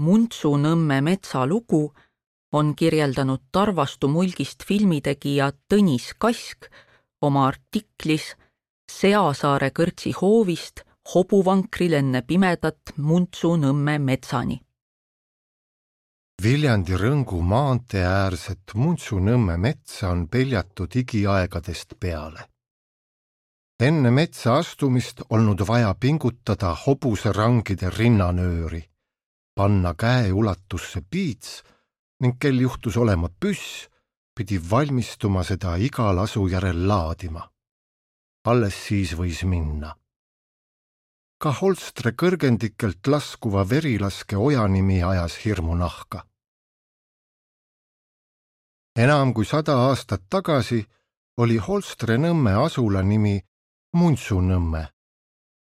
Muntsunõmme metsalugu on kirjeldanud Tarvastu mulgist filmitegija Tõnis Kask oma artiklis Seasaare kõrtsi hoovist hobuvankril enne pimedat Muntsunõmme metsani. Viljandi Rõngu maantee äärset Muntsunõmme metsa on peljatud igiaegadest peale. Enne metsa astumist olnud vaja pingutada hobuserangide rinnanööri, panna käe ulatusse piits ning kel juhtus olema püss, pidi valmistuma seda iga lasu järel laadima. Alles siis võis minna. Ka Holstre kõrgendikelt laskuva verilaske ojanimi ajas hirmu nahka. Enam kui 100 aastat tagasi oli Holstre nõmme asula nimi Muntsunõmme.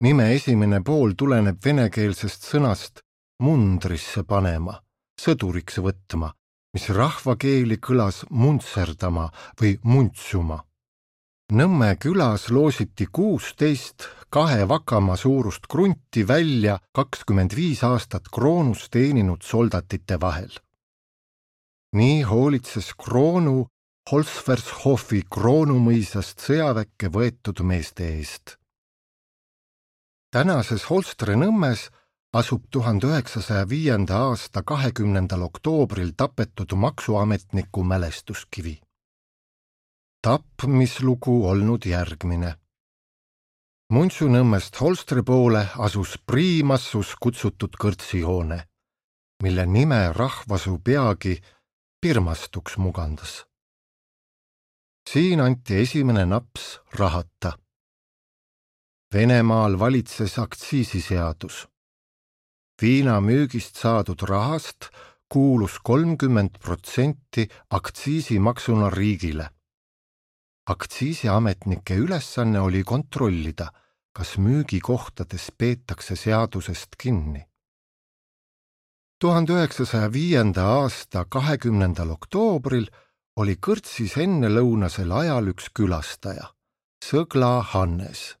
Nime esimene pool tuleneb venekeelsest sõnast mundrisse panema, sõduriks võtma, mis rahvakeeli kõlas muntserdama või muntsuma. Nõmme külas loositi 16 2 vakama suurust krunti välja 25 aastat kroonus teeninud soldatite vahel. Nii hoolitses kroonu Holsvershofi kroonumõisast sõjaväkke võetud meeste eest. Tänases Holstre nõmmes asub 1905. aasta 20. oktoobril tapetud maksuametniku mälestuskivi. Tapmislugu olnud järgmine. Muntsunõmmest Holstre poole asus Priimassus kutsutud kõrtsihoone, mille nime rahvasuu peagi Pirmastuks mugandas. Siin anti esimene naps rahata. Venemaal valitses aktsiisiseadus. Viina müügist saadud rahast kuulus 30% aktsiisimaksuna riigile. Aktsiisiametnike ülesanne oli kontrollida, kas müügikohtades peetakse seadusest kinni. 1905. aasta 20. oktoobril oli kõrtsis ennelõunasel ajal üks külastaja, Sõgla Hannes.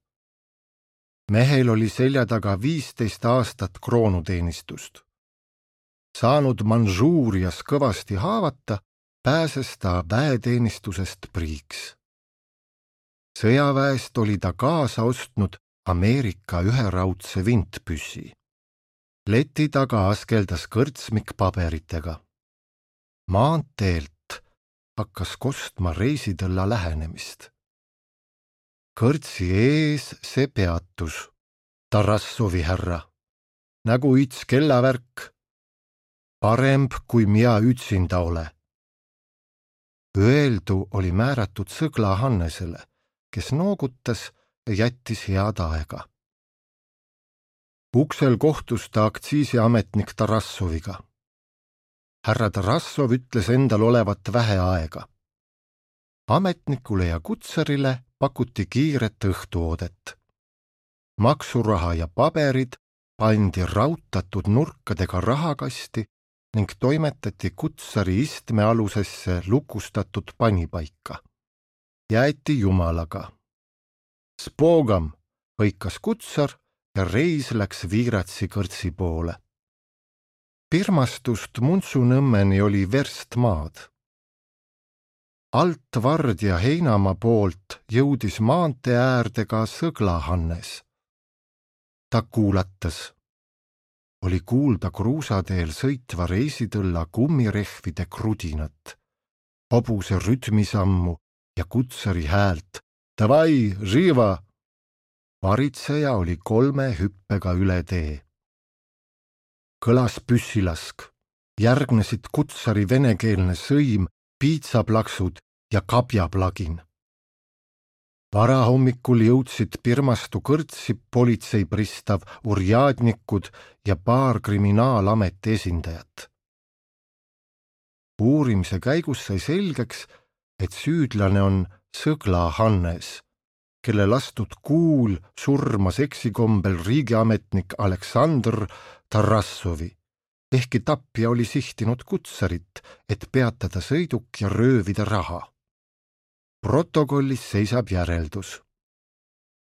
Mehel oli selja taga 15 aastat kroonuteenistust. Saanud Manžuurias kõvasti haavata, pääses ta väeteenistusest priiks. Sõjaväest oli ta kaasa ostnud Ameerika üheraudse vintpüssi. Leti taga askeldas kõrtsmik paberitega. Maanteelt hakkas kostma reisitõlla lähenemist. Kõrtsi ees see peatus. Tarassovi härra. Nägu its kellavärk. Paremb kui mina ütsinda ole. Öeldu oli määratud Sõgla Hannesele, kes noogutas ja jättis head aega. Uksel kohtus ta aktsiisiametnik Tarassoviga. Härra Tarassov ütles endal olevat vähe aega. Ametnikule ja kutsarile pakuti kiiret õhtuoodet. Maksuraha ja paberid pandi rautatud nurkadega rahakasti ning toimetati kutsari istmealusesse lukustatud panipaika. Jäeti jumalaga. Spogam hõikas kutsar ja reis läks Viiratsi kõrtsi poole. Pirmastust Muntsunõmmeni oli verst maad. Alt Vard ja Heinamaa poolt jõudis maantee äärde ka Sõgla Hannes. Ta kuulatas. Oli kuulda kruusateel sõitva reisitõlla kummirehvide krudinat, hobuse rütmisammu ja kutsari häält. Davai, živa! Varitseja oli 3 hüppega üle tee. Kõlas püssilask, järgnesid kutsari venekeelne sõim, piitsaplaksud ja kabjaplagin. Varahommikul jõudsid Pirmastu kõrtsi politseipristav urjadnikud ja paar kriminaalameti esindajat. Uurimise käigus sai selgeks, et süüdlane on Sõgla Hannes, kelle lastud kuul surmas eksikombel riigiametnik Aleksandr Tarassovi, ehkki tapja oli sihtinud kutsarit, et peatada sõiduk ja röövida raha. Protokollis seisab järeldus.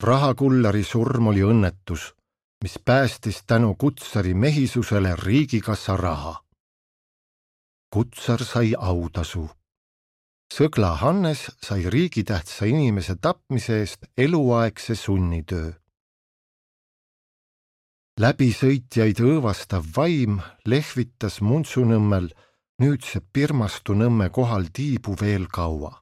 Rahakullari surm oli õnnetus, mis päästis tänu kutsari mehisusele riigikassa raha. Kutsar sai autasu. Sõgla Hannes sai riigitähtsa inimese tapmise eest eluaegse sunnitöö. Läbisõitjaid õõvastav vaim lehvitas Muntsunõmmel nüüdse Pirmastu Nõmme kohal tiibu veel kaua.